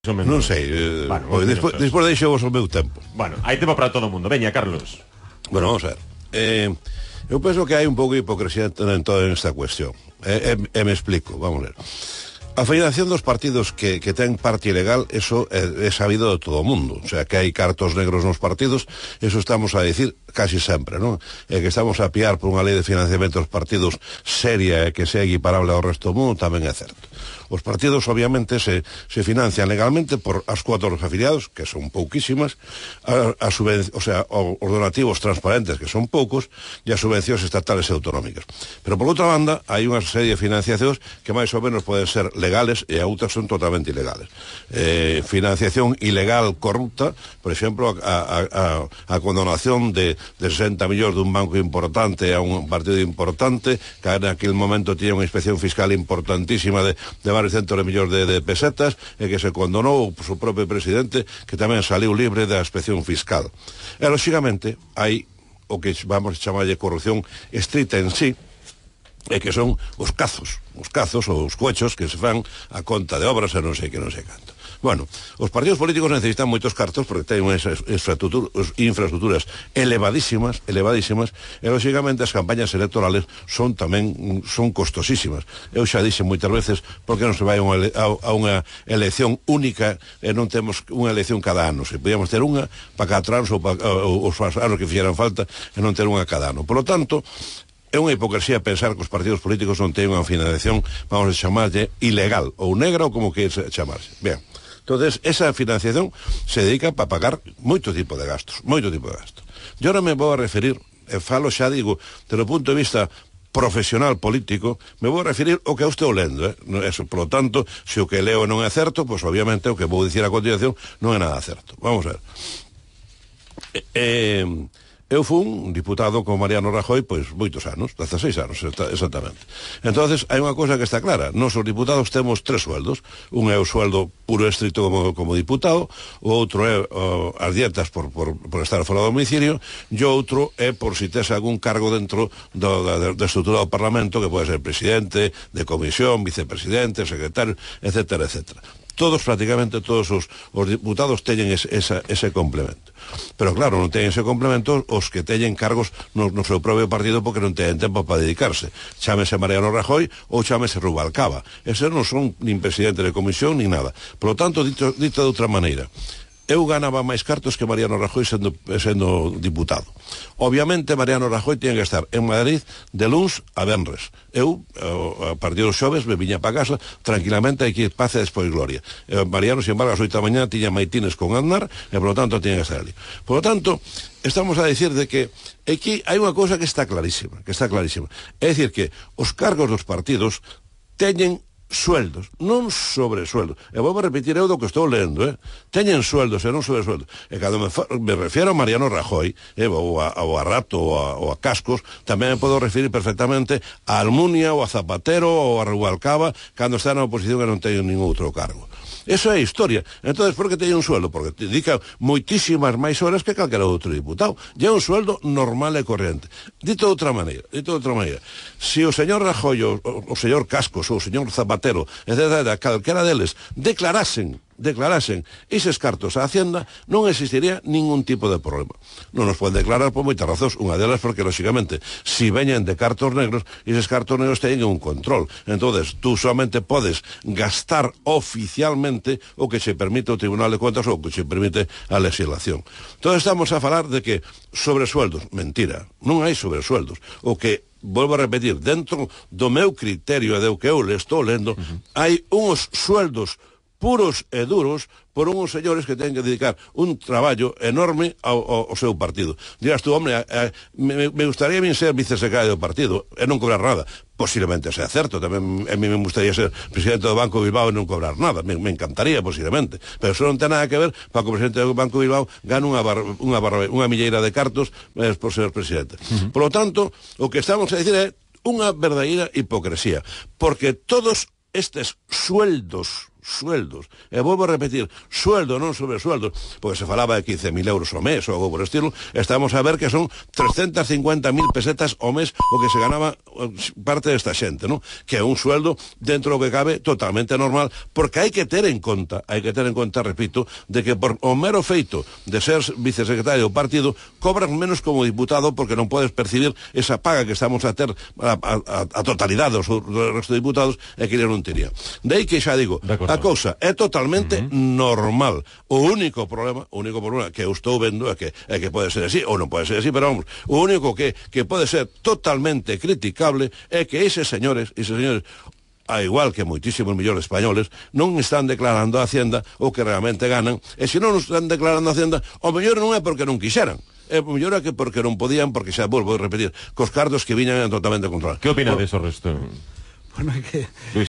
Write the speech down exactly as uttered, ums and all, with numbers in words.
Non sei, eh, bueno, pois, despois, despois deixo vos o meu tempo. Bueno, hai tempo para todo o mundo. Veña, Carlos. Bueno, vamos a ver. Eh, eu penso que hai un pouco de hipocresía en toda esta cuestión. E eh, eh, eh, me explico, vamos a ver. A federación dos partidos que, que ten parte ilegal, eso é, é sabido de todo o mundo. O sea, que hai cartos negros nos partidos, eso estamos a decir casi sempre, non? E que estamos a piar por unha lei de financiamento dos partidos seria e que sea equiparable ao resto do mundo, tamén é certo. Os partidos, obviamente, se, se financian legalmente por as cuotas dos afiliados, que son pouquísimas, a, a o sea, os donativos transparentes, que son poucos, e as subvencións estatales e autonómicas. Pero, por outra banda, hai unha serie de financiacións que máis ou menos poden ser legales e a outras son totalmente ilegales. Eh, financiación ilegal corrupta, por exemplo, a, a, a, a condonación de, de sesenta millóns dun banco importante a un partido importante, que en aquel momento tiña unha inspección fiscal importantísima de, de varios centos de millóns de, de pesetas e que se condonou o seu propio presidente, que tamén saliu libre da inspección fiscal. E, lóxicamente, hai o que vamos a chamarlle corrupción estrita en sí, e que son os cazos, os cazos ou os cochos que se fan a conta de obras e non sei que non sei canto. Bueno, os partidos políticos necesitan moitos cartos porque teñen unhas infraestructuras elevadísimas, elevadísimas, e lógicamente as campañas electorales son tamén son costosísimas. Eu xa dixe moitas veces porque non se vai a unha, a unha elección única e non temos unha elección cada ano. Se podíamos ter unha para catro anos ou para os anos que fixeran falta e non ter unha cada ano. Por lo tanto, é unha hipocresía pensar que os partidos políticos non teñen unha financiación, vamos a chamarlle, ilegal, ou negra, ou como que chamarse. Ben, entonces, esa financiación se dedica para pagar moito tipo de gastos, moito tipo de gastos. Eu ahora me vou a referir, e falo xa digo, desde o punto de vista profesional político, me vou a referir ao que eu estou lendo, eh? Eso, por lo tanto, se o que leo non é certo, pois obviamente o que vou dicir a continuación non é nada certo. Vamos a ver. Eh... Eu fui un diputado con Mariano Rajoy, pois, moitos anos, dezaseis anos, exactamente. Entonces, hai unha cosa que está clara. Nos, os diputados, temos tres sueldos. Un é o sueldo puro e estricto como, como diputado, o outro é o, as dietas por, por, por estar fora do domicilio, e o outro é por si tes algún cargo dentro do, da, da estrutura do Parlamento, que pode ser presidente, de comisión, vicepresidente, secretario, etcétera, etcétera. Todos, prácticamente todos os, os diputados teñen ese, esa, ese complemento. Pero claro, non teñen ese complemento os que teñen cargos no, no seu propio partido porque non teñen tempo para dedicarse. Chámese Mariano Rajoy ou chámese Rubalcaba. Eses non son nin presidente de comisión nin nada. Por lo tanto, dito, dito de outra maneira, eu ganaba máis cartos que Mariano Rajoy sendo, sendo diputado. Obviamente, Mariano Rajoy tiña que estar en Madrid de luns a venres. Eu, a partir dos xoves, me viña para casa tranquilamente, aquí paz e despois gloria. E Mariano, sin embargo, as oito da mañá tiña maitines con Aznar e, por lo tanto, tiña que estar ali. Por lo tanto, estamos a decir de que aquí hai unha cousa que está clarísima, que está clarísima. É dicir que os cargos dos partidos teñen sueldos, non sobresueldos. E vou a repetir eu do que estou lendo, eh? Teñen sueldos e non sobresueldos. E cando me, me refiero a Mariano Rajoy, eh, ou, a, ou a Rato, ou a, ou a Cascos, tamén me podo referir perfectamente a Almunia, ou a Zapatero, ou a Rubalcaba, cando está na oposición e non teñen ningún outro cargo. Eso é a historia. Entonces, por que teñen un sueldo? Porque te dedica moitísimas máis horas que calquera outro diputado. E é un sueldo normal e corriente. Dito de outra maneira, dito de outra maneira, se o señor Rajoy, o, o señor Cascos, ou o señor Zapatero, etcétera, calquera deles, declarasen declarasen eses cartos a Hacienda, non existiría ningún tipo de problema. Non nos poden declarar por moitas razóns, unha delas porque, lógicamente, si veñen de cartos negros, eses cartos negros teñen un control. Entonces, tú solamente podes gastar oficialmente o que se permite o Tribunal de Contas ou o que se permite a legislación. Entón, estamos a falar de que sobresueldos, mentira, non hai sobresueldos. O que volvo a repetir, dentro do meu criterio e do que eu le estou lendo, uh-huh. hai uns sueldos puros e duros por uns señores que ten que dedicar un traballo enorme ao, ao, ao seu partido. Dirás tú, hombre, a, a, me, me gustaría bien ser vicesecretario do partido e non cobrar nada. Posiblemente sea certo, tamén a mí me gustaría ser presidente do Banco Bilbao e non cobrar nada, me, me encantaría posiblemente, pero eso non ten nada que ver para que o presidente do Banco Bilbao gane unha, bar, unha, bar, unha milleira de cartos eh, por ser presidente. Uh-huh. Por lo tanto, o que estamos a dicir é unha verdadeira hipocresía, porque todos estes sueldos sueldos. E volvo a repetir, sueldo, non sobre sueldos, porque se falaba de quince mil euros ao mes ou algo por estilo, estamos a ver que son trescentas cincuenta mil pesetas ao mes o que se ganaba parte desta xente, non? Que é un sueldo dentro do que cabe totalmente normal, porque hai que ter en conta, hai que ter en conta, repito, de que por o mero feito de ser vicesecretario do partido, cobras menos como diputado porque non podes percibir esa paga que estamos a ter a, a, a totalidade dos, dos resto de diputados e que non tería. De aí que xa digo, a cousa é totalmente uh -huh. normal. O único problema, o único problema que eu estou vendo é que, é que pode ser así, ou non pode ser así, pero vamos, o único que, que pode ser totalmente criticable é que eses señores, eses señores, a igual que moitísimos millóns españoles, non están declarando a Hacienda o que realmente ganan, e se non están declarando a Hacienda, o mellor non é porque non quixeran, é mellor é que porque non podían, porque xa volvo a repetir, cos cartos que viñan totalmente controlados. Que opina de eso resto? Bueno, é que...